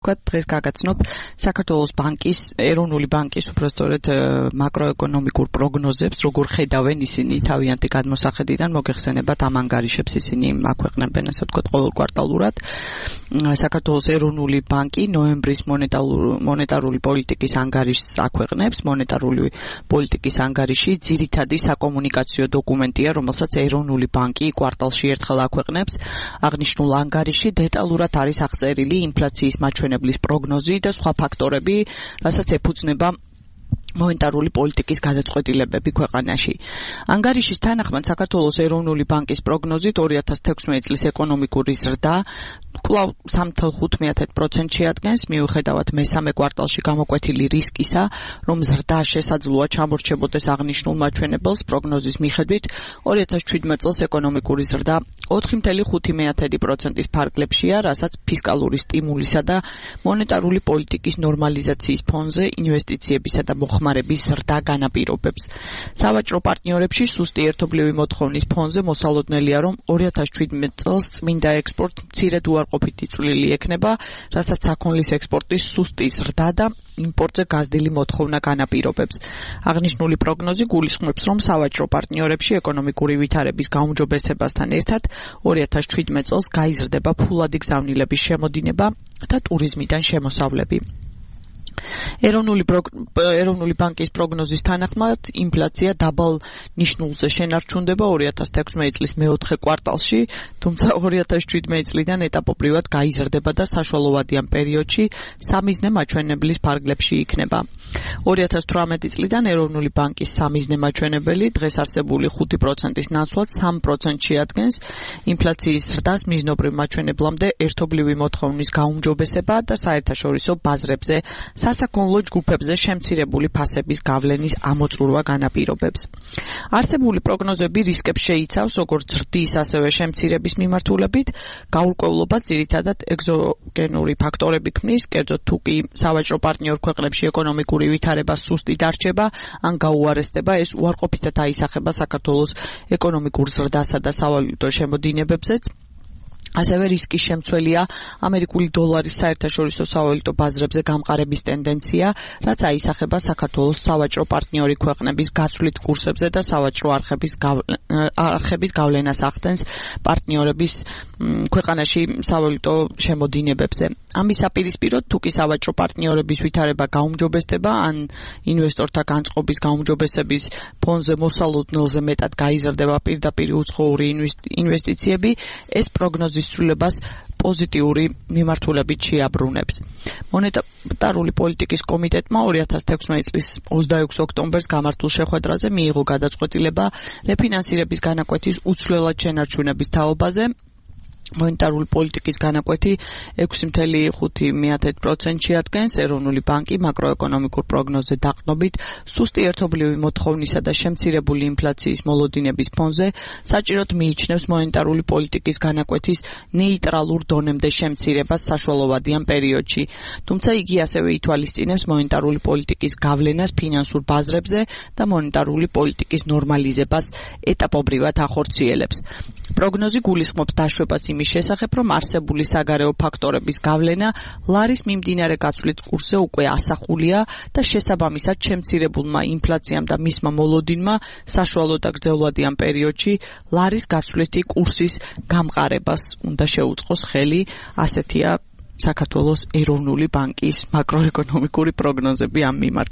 დღეს გაგაცნობ საქართველოს ბანკის, ეროვნული ბანკის უпростоრეთ მაკროეკონომიკურ პროგნოზებს, როგორ ხედავენ ისინი თავიანთი გადმოსახედიდან, მოგეხსენებათ ამ ანგარიშებს ისინი აქვეყნებენ, ასე ვთქვათ, ყოველ კვარტალურად. საქართველოს ეროვნული ბანკი ნოემბრის მონეტარული პოლიტიკის ანგარიშს აქვეყნებს. მონეტარული პოლიტიკის ანგარიში ძირითადი საკომუნიკაციო დოკუმენტია, რომელსაც ეროვნული ბანკი კვარტალში ერთხელ აქვეყნებს. აღნიშნულ ანგარიში დეტალურად არის აღწერილი ინფლაციის მაჩვენებლის პროგნოზი და სხვა ფაქტორები, რასაც ეფუძნება მონეტარული პოლიტიკის გადაწყვეტილებები ქვეყანაში. ანგარიშის თანახმად საქართველოს ეროვნული ბანკის პროგნოზით 2016 წლის ეკონომიკური ზრდა კვლავ 3.5% შეადგენს, მიუხედავად მესამე კვარტალში გამოკვეთილი რისკისა, რომ ზრდა შესაძლოა ჩამორჩებოდეს აღნიშნულ მაჩვენებელს. პროგნოზის მიხედვით 2017 წელს ეკონომიკური ზრდა 4.5%-ის ფარგლებშია, რასაც ფისკალური სტიმულისა და მონეტარული პოლიტიკის ნორმალიზაციის ფონზე ინვესტიციებისა და მოხმარების ზრდა განაპირობებს. სავაჭრო პარტნიორებში სუსტი ერთობლივი მოთხოვნის ფონზე მოსალოდნელია, რომ 2017 წელს წმინდა ექსპორტ მცირედ უარყოფითი წვლილი ექნება, რასაც საქონლის ექსპორტის სუსტი ზრდა და იმპორტზე გაზრდილი მოთხოვნა განაპირობებს. აღნიშნული პროგნოზი გულისხმობს, რომ სავაჭრო პარტნიორებში ეკონომიკური ვითარების გაუმჯობესებასთან ერთად 2017 წელს გაიზრდება ფულადი გზავნილების შემოდინება და ტურიზმიდან შემოსავლები. ეროვნული ბანკის პროგნოზის თანახმად ინფლაცია დაბალ ნიშნულზე შენარჩუნდება 2016 წლის მეოთხე კვარტალში, თუმცა 2017 წლიდან ეტაპობრივად გაიზრდება და საშუალოვადიან პერიოდში სამიზნე მაჩვენებლის ფარგლებში იქნება. 2018 წლიდან ეროვნული ბანკის სამიზნე მაჩვენებელი დღეს არსებული 5%-ის ნაცვლად 3% შეადგენს. ინფლაციის ზრდას მიზნობრივ მაჩვენებლამდე ერთობლივი მოთხოვნის გაუმჯობესება და საერთაშორისო ბაზრებზე სასაქონლო ჯგუფებზე შემცირებული ფასების გავლენის ამოწურვა განაპირობებს. არსებული პროგნოზები რისკებს შეიცავს, როგორც ზრდის, ასევე შემცირების მიმართულებით. გაურკვევლობას ძირითადად ეგზოგენური ფაქტორები ქმნის, კერძოდ თუ კი სავაჭრო პარტნიორ ქვეყნებში ეკონომიკური ვითარება სუსტი დარჩება, ან გაუარესდება, ეს უარყოფითად აისახება საქართველოს ეკონომიკურ ზრდასა და სავალუტო შემოდინებებზეც. ასევე რისკის შემცველია ამერიკული დოლარის საერთაშორისო სავალუტო ბაზრებზე გამყარების ტენდენცია, რაც აისახება საქართველოს სავაჭრო პარტნიორი ქვეყნების გაცვლით კურსებზე და სავაჭრო არხებით გავლენას ახდენს პარტნიორების ქვეყანაში სავალუტო შემოდინებებზე. ამის საპირისპიროდ, თუ კი სავაჭრო პარტნიორების ვითარება გაუმჯობესდება, ან ინვესტორთა განწყობის გაუმჯობესების ფონზე მოსალოდნელზე მეტად გაიზრდება პირდაპირ უცხოური ინვესტიციები, ეს პროგნოზის ცვლილებას პოზიტიური მიმართულებით შეაბრუნებს. მონეტარული პოლიტიკის კომიტეტმა 2016 წლის 26 ოქტომბერს გამართულ შეხვედრაზე მიიღო გადაწყვეტილება რეფინანსირების განაკვეთის უცვლელად შენარჩუნების თაობაზე. მონეტარული პოლიტიკის განაკვეთი 6.5% შეადგენს. ეროვნული ბანკი მაკროეკონომიკურ პროგნოზზე დაყრდნობით სუსტი ერთობლივი მოთხოვნისა და შემცირებული ინფლაციის მოლოდინების ფონზე საჭიროდ მიიჩნევს მონეტარული პოლიტიკის განაკვეთის ნეიტრალურ დონემდე შემცირებას საშუალოვადიან პერიოდში. თუმცა იგი ასევე ითვალისწინებს მონეტარული პოლიტიკის გავლენას ფინანსურ ბაზრებზე და მონეტარული პოლიტიკის ნორმალიზებას ეტაპობრივად ახორციელებს. პროგნოზი გულისხმობს დაშვებას იმის შესახებ, რომ არსებული საგარეო ფაქტორების გავლენა ლარის მიმდინარე გაცვლის კურსზე უკვე ასახულია და შესაბამისად შემცირებულმა ინფლაციამ და მისმა მოლოდინმა საშუალო და გრძელვადიან პერიოდში ლარის გაცვლითი კურსის გამყარებას უნდა შეუწყოს ხელი. ასეთია საქართველოს ეროვნული ბანკის მაკროეკონომიკური პროგნოზები ამ მიმართულებით.